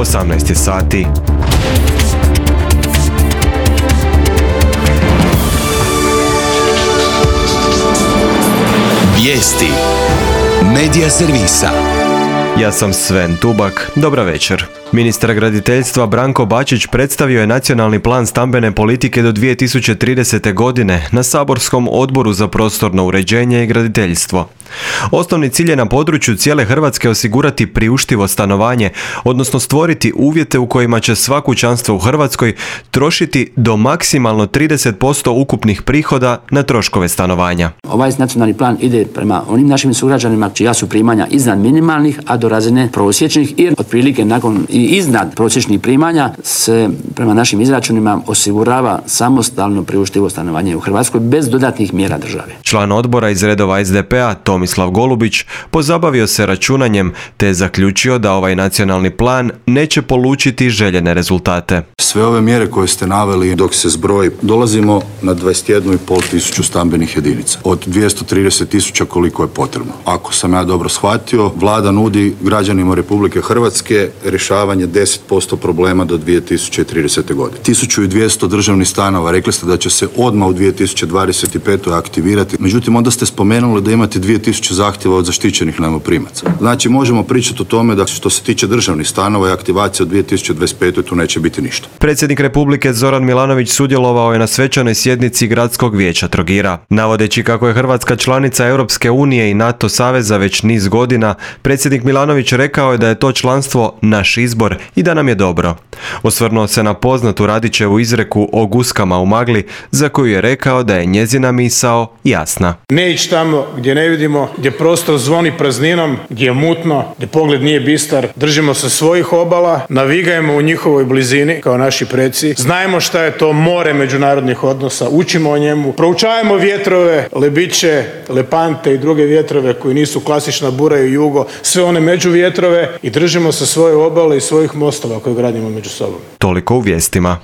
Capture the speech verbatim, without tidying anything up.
osamnaest je sati. Vijesti Medija servisa. Ja sam Sven Tubak, dobra večer. Ministar graditeljstva Branko Bačić predstavio je nacionalni plan stambene politike do dvije tisuće tridesete. godine na saborskom odboru za prostorno uređenje i graditeljstvo. Osnovni cilj je na području cijele Hrvatske osigurati priuštivo stanovanje, odnosno stvoriti uvjete u kojima će sva kućanstva u Hrvatskoj trošiti do maksimalno trideset posto ukupnih prihoda na troškove stanovanja. Ovaj nacionalni plan ide prema onim našim sugrađanima čija su primanja iznad minimalnih, a do razine prosječnih, i otprilike nakon i iznad prosječnih primanja se prema našim izračunima osigurava samostalno priuštivo stanovanje u Hrvatskoj bez dodatnih mjera države. Član odbora iz redova es de pe a Tomislav Golubić pozabavio se računanjem te je zaključio da ovaj nacionalni plan neće polučiti željene rezultate. Sve ove mjere koje ste naveli dok se zbroji, dolazimo na dvadeset jednu i pol tisuću stambenih jedinica od dvjesto trideset tisuća koliko je potrebno. Ako sam ja dobro shvatio, vlada nudi građanima Republike Hrvatske rješavanje deset posto problema do dvije tisuće tridesete. godine. tisuću dvjesto državnih stanova, rekli ste da će se odmah u dvije tisuće dvadeset petoj aktivirati, međutim onda ste spomenuli da imate dvije tisuće zahtjeva od zaštićenih najmoprimaca. Znači možemo pričati o tome da što se tiče državnih stanova i aktivacije od dvije tisuće dvadeset petoj tu neće biti ništa. Predsjednik Republike Zoran Milanović sudjelovao je na svečanoj sjednici Gradskog vijeća Trogira. Navodeći kako je Hrvatska članica Europske unije i NATO saveza već niz godina, predsjednik Milanović rekao je da je to članstvo naš izbor i da nam je dobro. Osvrnuo se na poznatu Radićevu izreku o guskama u magli, za koju je rekao da je njezina misao jasna. Ne ići tamo gdje ne vidimo, gdje prostor zvoni prazninom, gdje je mutno, gdje pogled nije bistar. Držimo se svojih obala, navigajmo u njihovoj blizini kao naši preci. Znajmo šta je to more međunarodnih odnosa, učimo o njemu, proučavamo vjetrove, Lebiće, Lepante i druge vjetrove koji nisu klasična bura i jugo, sve one međuvjetrove, i držimo se svoje obale i svojih mostova koje gradimo među sobom. Toliko u vijestima.